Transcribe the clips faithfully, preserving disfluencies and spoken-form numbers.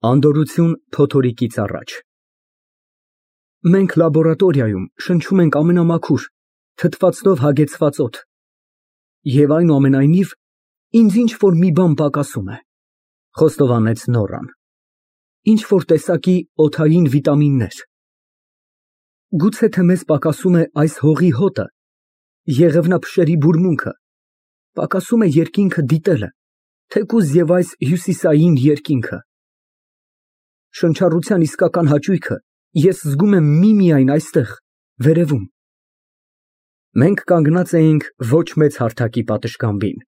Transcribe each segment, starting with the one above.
Անդորրություն փոթորիկից առաջ։ Մենք լաբորատորիայում շնչում ենք ամենամաքուր, թթվածնով հագեցված օդ, և այնուամենայնիվ, ինձ ինչ֊որ մի բան պակասում է, խոստովանեց Նորան, ինչ֊որ տեսակի օդային վիտամիններ։ Գուցե թե մեզ պակասում է այս հողի հոտը, եղևնափշերի բուրմունքը, պակասում է երկինքը դիտելը, թեկուզ և այս հյուսիսային երկինքը։ Շնչառության իսկական հաճույքը ես զգում եմ միմիայն այստեղ, վերևում։ Մենք կանգնած էինք ոչ մեծ հարթակի պատշգամբին,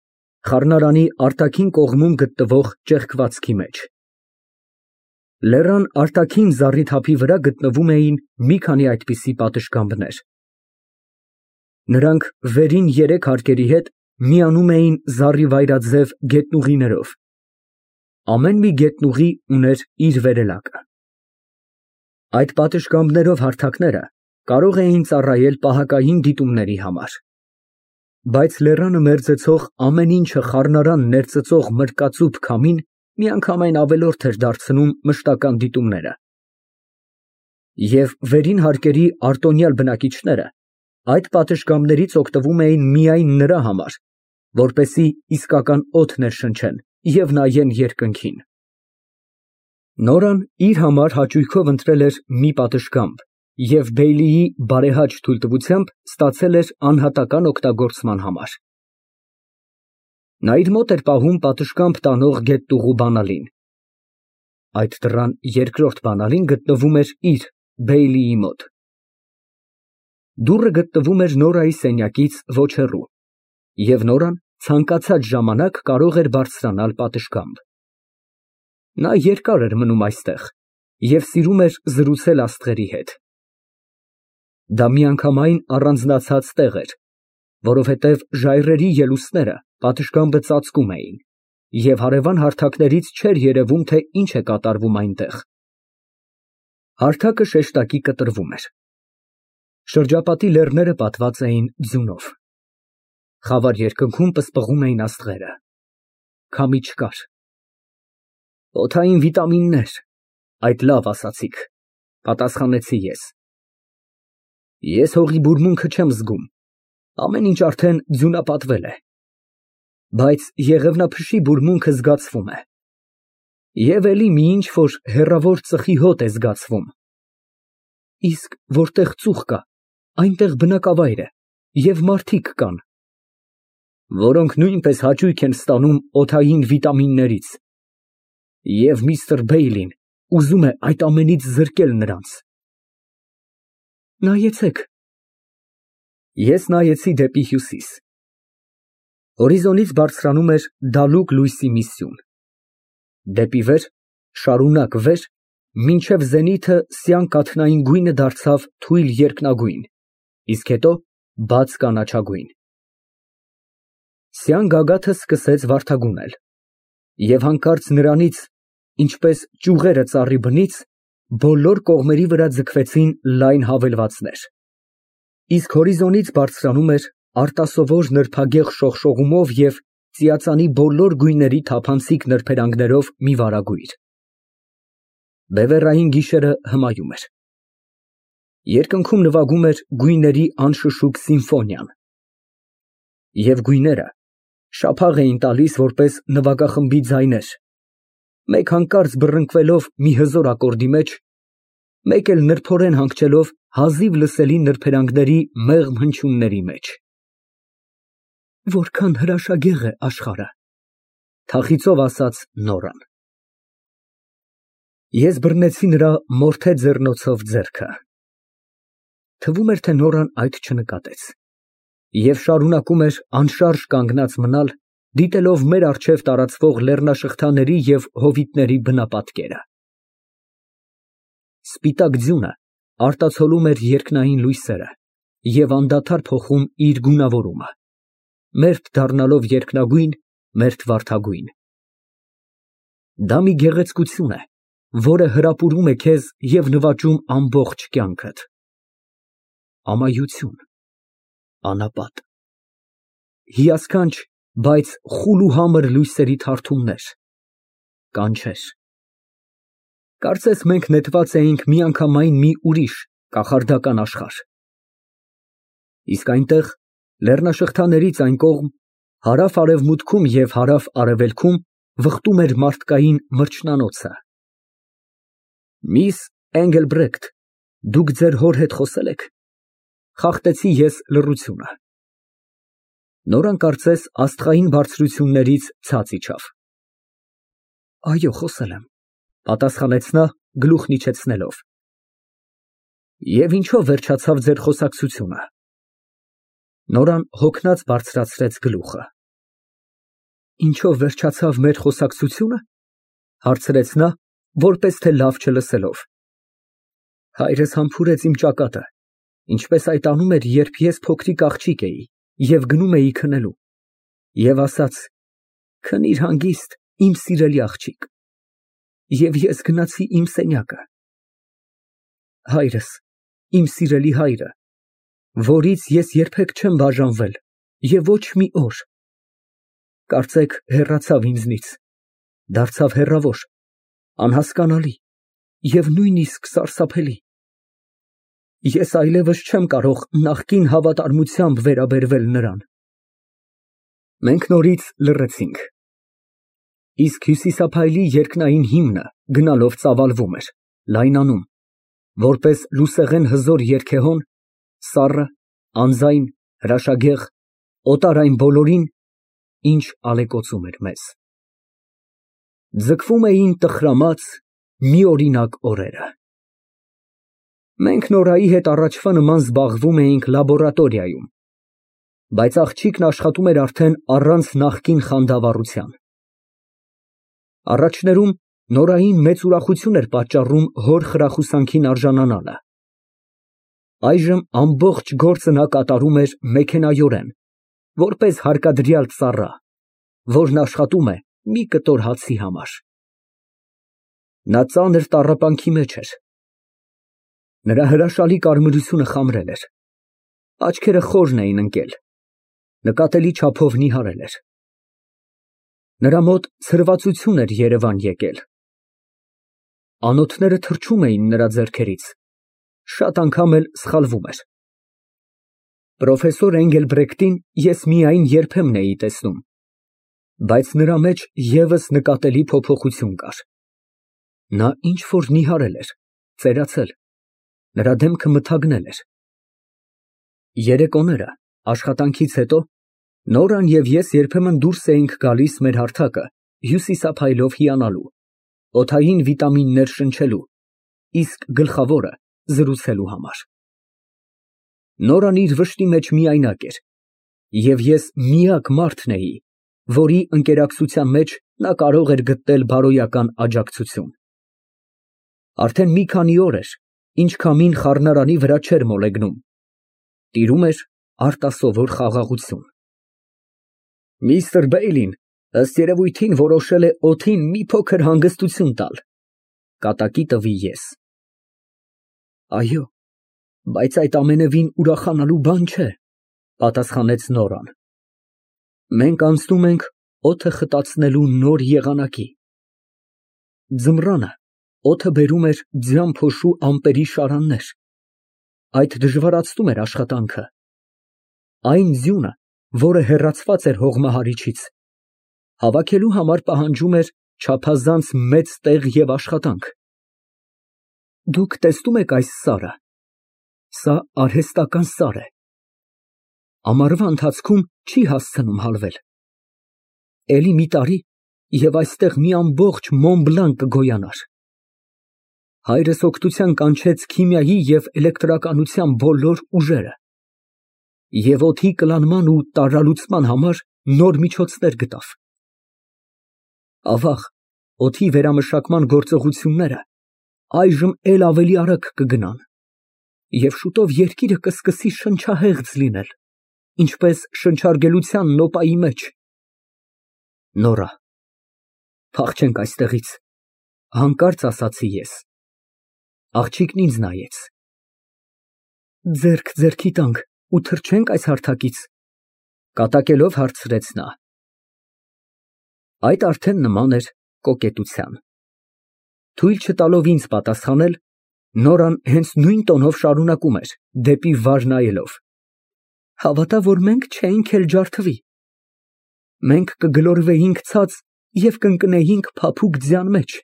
խառնարանի արտաքին կողմում գտնվող ճեղքվածքի մեջ։ Լեռան արտաքին զառիթափի վրա գտնվում էին մի քանի այդպիսի պատշգամբներ։ Նրանք վերին երեք հարկերի հետ միանում էին զառիվայրաձև գետնուղիներով։ Ամեն մի գետնուղի ուներ իր վերելակը։ Այդ պատշգամբներով հարթակները կարող էին ծառայել պահակային դիտումների համար։ Բայց լեռանը մերձեցող ամեն ինչը խառնարան ներծծող մրկածուփ քամին միանգամայն ավելորդ էր դարձնում մշտական դիտումները։ Եվ վերին հարկերի արտոնյալ բնակիչները այդ պատշգամբներից օգտվում էին միայն նրա համար, որպեսզի իսկական օդ ներշնչեն և նայեն երկնքին։ Նորան իր համար հաճույքով ընտրել էր մի պատշգամբ և Բեյլիի բարեհաճ թույլտվությամբ ստացել էր անհատական օգտագործման համար։ Նա իր մոտ էր պահում պատշգամբ տանող գետտուղու բանալին։ Այդ դռան երկրորդ բանալին գտնվում էր իր՝ Բեյլիի մոտ։ Դուռը գտնվում էր Նորայի սենյակից ոչ հեռու, և Նորան ցանկացած ժամանակ կարող էր բարձրանալ պատշգամբ։ Նա երկար էր մնում այստեղ և սիրում էր զրուցել աստղերի հետ։ Դա միանգամայն առանձնացած տեղ էր, որովհետև ժայռերի ելուստները պատշգամբը ծածկում էին, և հարևան հարթակներից չէր երևում, թե ինչ է կատարվում այնտեղ։ Հարթակը շեշտակի կտրվում էր։ Շրջապատի լեռները պատված էին ձյունով։ Խավար երկնքում պսպղում էին աստղերը։ Քամի չկար։ Օդային վիտամիններ, այդ լավ ասացիք, պատասխանեցի ես։ Ես հողի բուրմունքը չեմ զգում, ամեն ինչ արդեն ձյունապատվել է։ Բայց եղևնափշի բուրմունքը զգացվում է։ Եվ էլի մի ինչ֊որ հեռավոր ծխի հոտ է զգացվում։ Իսկ որտեղ ծուխ կա, այնտեղ բնակավայր է և մարդիկ կան, որոնք նույնպես հաճույք են ստանում օդային վիտամիններից, և միստր Բեյլին ուզում է այդ ամենից զրկել նրանց։ Նայեցեք։ Ես նայեցի դեպի հյուսիս։ Հորիզոնից բարձրանում էր դալուկ լույսի մի սյուն։ Դեպի վեր, շարունակ վեր, մինչև զենիթը սյան կաթնային գույնը դարձավ թույլ երկնագույն, իսկ հետո բաց կանաչագույն։ Սյան գագաթը սկսեց վարդագունել, և հանկարծ նրանից, ինչպես ճյուղերը ծառի բնից, բոլոր կողմերի վրա ձգվեցին լայն հավելվածներ, իսկ հորիզոնից բարձրանում էր արտասովոր նրբագեղ շողշողումով և ծիածանի բոլոր գույների թափանցիկ նրբերանգներով մի վարագույր։ Բևեռային գիշերը հմայում էր։ Երկնքում նվագում էր գույների անշշուկ սիմֆոնիան։ Եվ գույները շափաղ էին տալիս որպես նվագախմբի ձայներ, մեկ հանկարծ բռնկվելով մի հզոր ակորդի մեջ, մեկ էլ նրբորեն հանգչելով հազիվ լսելի նրբերանգների մեղմ հնչյունների մեջ։ Որքան հրաշագեղ է աշխարհը, թախիծով ասաց Նորան։ Ես բռնեցի նրա մորթե ձեռնոցով ձեռքը։ Թվում էր, թե Նորան այդ չնկատեց և շարունակում էր անշարժ կանգնած մնալ, դիտելով մեր առջև տարածվող լեռնաշղթաների և հովիտների բնապատկերը։ Սպիտակ ձյունը արտացոլում էր երկնային լույսերը և անդադար փոխում իր գունավորումը, մերթ դառնալով երկնագույն, մերթ վարդագույն։ Դա մի գեղեցկություն է, որը հրապուրում է քեզ և նվաճում ամբողջ կյանքդ։ Ամայություն, անապատ, հիասքանչ, բայց խուլ ու համր լույսերի թարթումներ, կանչեր։ Կարծես մենք նետված էինք միանգամայն մի ուրիշ կախարդական աշխարհ։ Իսկ այնտեղ, լեռնաշղթաներից այն կողմ, հարավ֊արևմուտքում և հարավ֊արևելքում վխտում էր մարդկային մրջնանոցը։ Միս Էնգելբրեկտ, դուք ձեր հոր հետ խոսե՞լ եք։ Խախտեցի ես լռությունը։ Նորան կարծես աստղային բարձրություններից ցած իջավ։ Այո, խոսել եմ, պատասխանեց նա գլուխն իջեցնելով։ Եվ ինչո՞վ վերջացավ ձեր խոսակցությունը։ Նորան հոգնած բարձրացրեց գլուխը։ Ինչո՞վ վերջացավ մեր խոսակցությունը, հարցրեց նա, որպես թե լավ չլսելով։ Հայրս համբուրեց իմ ճակատը, ինչպես այդ անում էր, երբ ես փոքրիկ աղջիկ էի և գնում էի քնելու, և ասաց. «Քնիր հանգիստ, իմ սիրելի աղջիկ», և ես գնացի իմ սենյակը։ Հայրս, իմ սիրելի հայրը, որից ես երբեք չեմ բաժանվել և ոչ մի օր, կարծեք հեռացավ ինձնից, դարձավ հեռավոր, անհասկանալի և նույնիսկ սարսափելի։ Ես այլևս չեմ կարող նախկին հավատարմությամբ վերաբերվել նրան։ Մենք նորից լռեցինք։ Իսկ հյուսիսափայլի երկնային հիմնը գնալով ծավալվում էր, լայնանում, որպես լուսեղեն հզոր երգեհոն, սառը, անձայն, հրաշագեղ, օտար այն բոլորին, ինչ ալեկոծում էր մեզ։ Ձգվում էին տխրամած, միօրինակ օրերը։ Մենք Նորայի հետ առաջվա նման զբաղվում էինք լաբորատորիայում, բայց աղջիկն աշխատում էր արդեն առանց նախկին խանդավառության։ Առաջներում Նորային մեծ ուրախություն էր պատճառում հոր խրախուսանքին արժանանալը։ Այժմ ամբողջ գործը նա կատարում էր մեքենայորեն, որպես հարկադրյալ ծառա, որն աշխատում է մի կտոր հացի համար։ Նա ծանր տառապանքի մեջ էր։ Նրա հրաշալի կարմրությունը խամրել էր, աչքերը խորն էին ընկել, նկատելի չափով նիհարել էր։ Նրա մոտ ցրվածություն էր երևան եկել։ Անոթները թռչում էին նրա ձեռքերից, շատ անգամ էլ սխալվում էր։ Պրոֆեսոր Էնգելբրեկտին ես միայն երբեմն էի տեսնում, բայց նրա մեջ ևս նկատելի փոփոխություն կար։ Նա ինչ֊որ նիհարել էր, ծերացել, նրա դեմքը մթագնել էր։ Երեկոները, աշխատանքից հետո, Նորան և ես երբեմն դուրս էինք գալիս մեր հարթակը հյուսիսափայլով հիանալու, օդային վիտամիններ շնչելու, իսկ գլխավորը զրուցելու համար։ Նորան իր վշտի մեջ միայնակ էր, և ես միակ մարդն էի, որի ընկերակցության մեջ նա կարող էր գտնել բարոյական աջակցություն։ Արդեն մի քանի օր էր, ինչ քամին խառնարանի վրա չէր մոլեգնում, տիրում էր արտասովոր խաղաղություն։ Միստր Բեյլին, ըստ երևույթին, որոշել է օդին մի փոքր հանգստություն տալ, կատակի տվի ես։ Այո, բայց այդ ամենևին ուրախանալու բան չէ, պատասխանեց Նորան։ Մենք անցնում ենք օդը խտացնելու նոր եղանակի։ Ձմռանը օդը բերում էր ձյան փոշու ամպերի շարաններ, այդ դժվարացնում էր աշխատանքը։ Այն ձյունը, որը հեռացված էր հողմահարիչից, հավաքելու համար պահանջում էր չափազանց մեծ տեղ և աշխատանք։ Դուք տեսնո՞ւմ եք այս սարը։ Սա արհեստական սար է։ Ամառվա ընթացքում չի հասցնում հալվել։ Էլի մի տարի, և այստեղ մի ամբողջ Մոն Բլան կգոյանար։ Հայրս օգնության կանչեց քիմիայի և էլեկտրականության բոլոր ուժերը և օդի կլանման ու տարրալուծման համար նոր միջոցներ գտավ։ Ավաղ, օդի վերամշակման գործողությունները այժմ էլ ավելի արագ կգնան, և շուտով երկիրը կսկսի շնչահեղձ լինել, ինչպես շնչարգելության նոպայի մեջ։ Նորա, փախչենք այստեղից, հանկարծ ասացի ես։ Աղջիկն ինձ նայեց։ Ձեռք ձեռքի տանք ու թռչե՞նք այս հարթակից, կատակելով հարցրեց նա։ Այդ արդեն նման էր կոկետության։ Թույլ չտալով ինձ պատասխանել, Նորան հենց նույն տոնով շարունակում էր, դեպի վար նայելով. Հավատա, որ մենք չէինք էլ ջարդվի, մենք կգլորվեինք ցած և կընկնեինք փափուկ ձյան մեջ,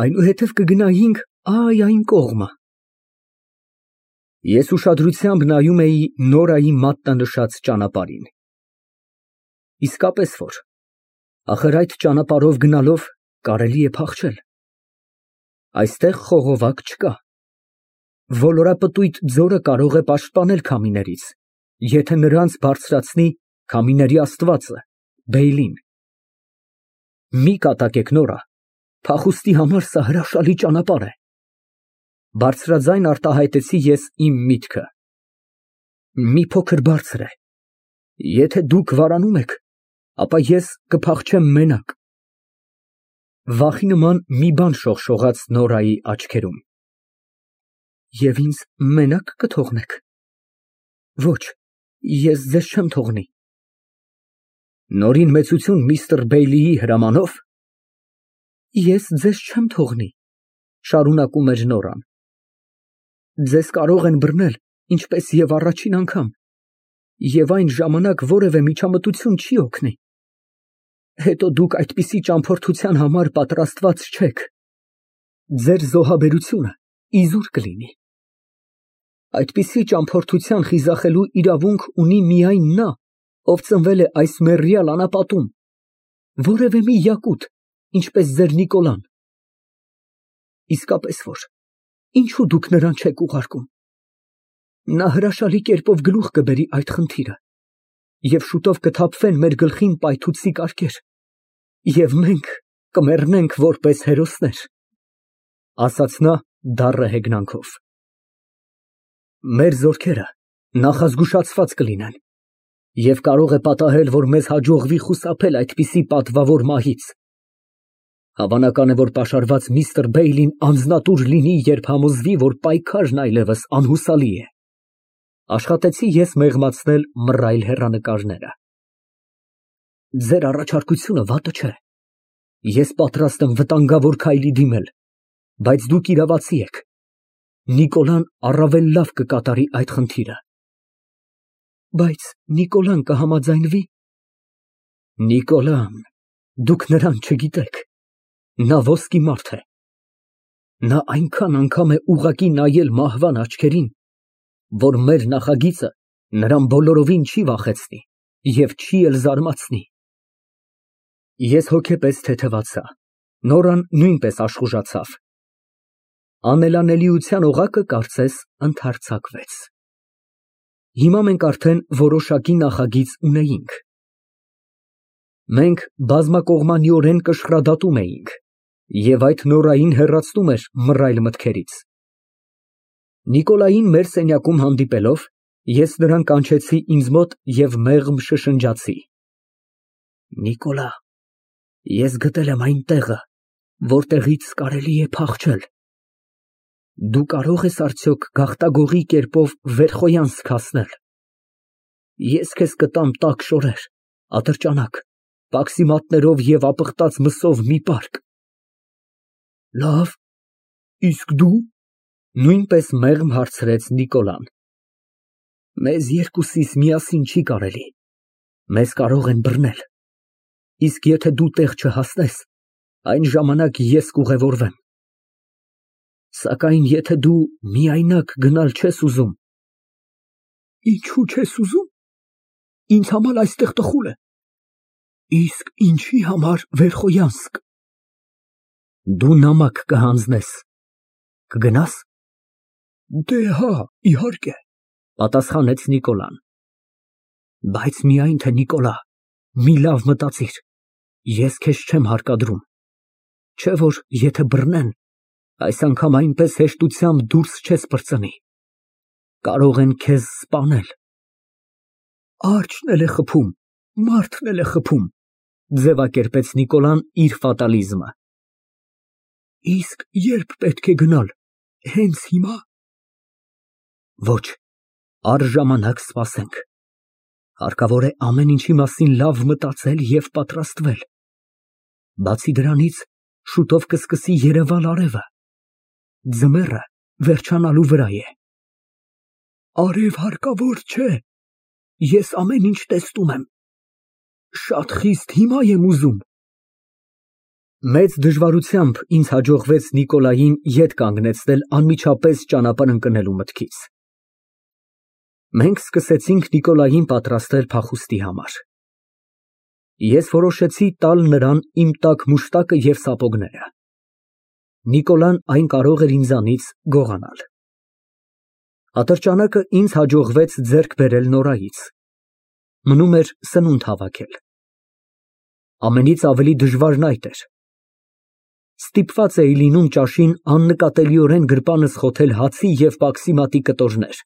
այնուհետև կգնայինք այ այն կողմը։ Ես ուշադրությամբ նայում էի Նորայի մատնանշած ճանապարհին։ Իսկապես որ, ախր այդ ճանապարհով գնալով կարելի է փախչել։ Այստեղ խողովակ չկա։ Ոլորապտույտ ձորը կարող է պաշտպանել քամիներից, եթե նրանց բարձրացնի քամիների աստվածը, Բեյլին։ Մի կատակեք, Նորա, փախուստի համար սա հրաշալի ճանապարհ է։ Բարձրաձայն արտահայտեցի ես իմ միտքը։ Մի փոքր բարձր է։ Եթե դուք վարանում եք, ապա ես կփախչեմ մենակ։ Վախի նման մի բան շողշողաց Նորայի աչքերում։ Եվ ինձ մենակ կթողնեք։ Ոչ, ես ձեզ չեմ թողնի։ Նորին մեծություն միստր Բեյլիի հրամանով։ Ես ձեզ չեմ թողնի, շարունակում էր Նորան։ Ձեզ կարող են բռնել, ինչպես և առաջին անգամ, և այն ժամանակ որևէ միջամտություն չի օգնի։ Հետո դուք այդպիսի ճամփորդության համար պատրաստված չեք։ Ձեր զոհաբերությունը իզուր կլինի։ Այդպիսի ճամփորդության խիզախելու իրավունք ունի միայն նա, ով ծնվել է այս մեռյալ անապատում, որևէ մի յակուտ, ինչպես ձեր Նիկոլան։ Իսկապես որ, ինչու դուք նրան չեք ուղարկում։ Նա հրաշալի կերպով գլուխ կբերի այդ խնդիրը, և շուտով կթափվեն մեր գլխին պայթուցիկ կարկեր, և մենք կմեռնենք որպես հերոսներ, ասաց նա դառը հեգնանքով։ Մեր զորքերը նախազգուշացված կլինեն, և կարող է պատահել, որ մեզ հաջողվի խուսափել այդպիսի պատվավոր մահից։ Հավանական է, որ պաշարված միստր Բեյլին անձնատուր լինի, երբ համոզվի, որ պայքարն այլևս անհուսալի է։ Աշխատեցի ես մեղմացնել մռայլ հեռանկարները։ Ձեր առաջարկությունը վատը չէ։ Ես պատրաստ եմ վտանգավոր քայլի դիմել, բայց դուք իրավացի եք։ Նիկոլան առավել լավ կկատարի այդ խնդիրը։ Բայց Նիկոլան կհամաձայնվի։ Նիկոլան, դուք նրան չգիտեք։ Նա ոսկի մարդ է։ Նա այնքան անգամ է ուղղակի նայել մահվան աչքերին, որ մեր նախագիծը նրան բոլորովին չի վախեցնի և չի էլ զարմացնի։ Ես հոգեպես թեթևացա, Նորան նույնպես աշխուժացավ։ Անելանելիության օղակը կարծես ընդհարձակվեց։ Հիմա մենք արդեն որոշակի նախագիծ ունեինք։ Մենք բազմակողմանիորեն կշռադատում էինք, և այդ Նորային հեռացնում էր մռայլ մտքերից։ Նիկոլային մեր սենյակում հանդիպելով, ես նրան կանչեցի ինձ մոտ և մեղմ շշնջացի. Նիկոլա, ես գտել եմ այն տեղը, որտեղից կարելի է փախչել։ Դու կարող ես արդյոք գաղտագողի կերպով Վերխոյանսկ հասնել։ Ես քեզ կտամ տաք շորեր, ատրճանակ, պաքսի մատներով և ապխտած մսով մի պարկ։ Լավ, իսկ դու, նույնպես մեղմ հարցրեց Նիկոլան։ Մեզ երկուսիս միասին չի կարելի, մեզ կարող են բռնել, իսկ եթե դու տեղ չհասնես, այն ժամանակ ես կուղևորվեմ։ Սակայն եթե դու միայնակ գնալ չես ուզում։ Ինչու չես ուզում։ Ինձ համար այստեղ տխուր է։ Իսկ ինչի համար Վերխոյանսկ։ Դու նամակ կհանձնես, կգնաս։ Դե հա, իհարկե, պատասխանեց Նիկոլան։ Բայց միայն թե Նիկոլա, մի լավ մտածիր, ես քեզ չեմ հարկադրում, չէ որ եթե բռնեն, այս անգամ այնպես հեշտությամբ դուրս չես պրծնի, կարող են քեզ սպանել։ Արջն էլ է խփում, մարդն էլ է խփում, ձևակերպեց Նիկոլան իր ֆատալիզմը։ Իսկ երբ պետք է գնալ, հենց հիմա։ Ոչ, առժամանակ սպասենք։ Հարկավոր է ամեն ինչի մասին լավ մտածել և պատրաստվել։ Բացի դրանից, Շուտով կսկսի երևալ արևը։ Ձմեռը վերջանալու վրա է։ Արև հարկավոր չէ, ես ամեն ինչ տեսնում եմ, շատ խիստ հիմա եմ ուզում։ Մեծ դժվարությամբ ինձ հաջողվեց Նիկոլային ետ կանգնեցնել անմիջապես ճանապարհ ընկնելու մտքից։ Մենք սկսեցինք Նիկոլային պատրաստել փախուստի համար։ Ես որոշեցի տալ նրան իմ տաք մուշտակը և սապոգները։ Նիկոլան այն կարող էր ինձանից գողանալ։ Ատրճանակը ինձ հաջողվեց ձեռք բերել Նորայից։ Մնում էր սնունդ հավաքել։ Ամենից ավելի դժվարն այդ էր։ Ստիպված էի լինում ճաշին աննկատելիորեն գրպանս խոթել հացի և պաքսիմատի կտորներ։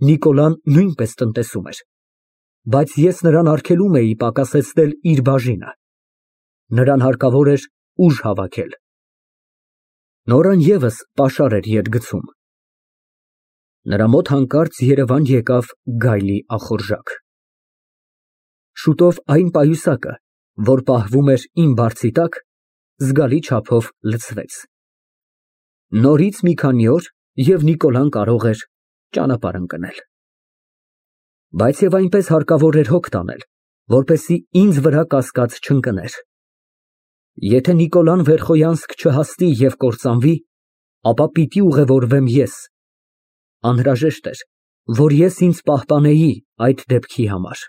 Նիկոլան նույնպես տնտեսում էր, բայց ես նրան արգելում էի պակասեցնել իր բաժինը։ Նրան հարկավոր էր ուժ հավաքել։ Նորան ևս պաշար էր ետ գցում։ Նրա մոտ հանկարծ երևան եկավ գայլի ախորժակ։ Շուտով այն պայուսակը, որ պահվում էր իմ բարձի տակ, զգալի չափով լցվեց։ Նորից մի քանի օր, և Նիկոլան կարող էր ճանապարհ ընկնել։ Բայց և այնպես հարկավոր էր հոգ տանել, որպեսզի ինձ վրա կասկած չընկներ։ Եթե Նիկոլան վերխոյանսկ չհասնի և կործանվի, ապա պիտի ուղևորվեմ ես։ Անհրաժեշտ էր, որ ես ինձ պահպանեի այդ դեպքի համար։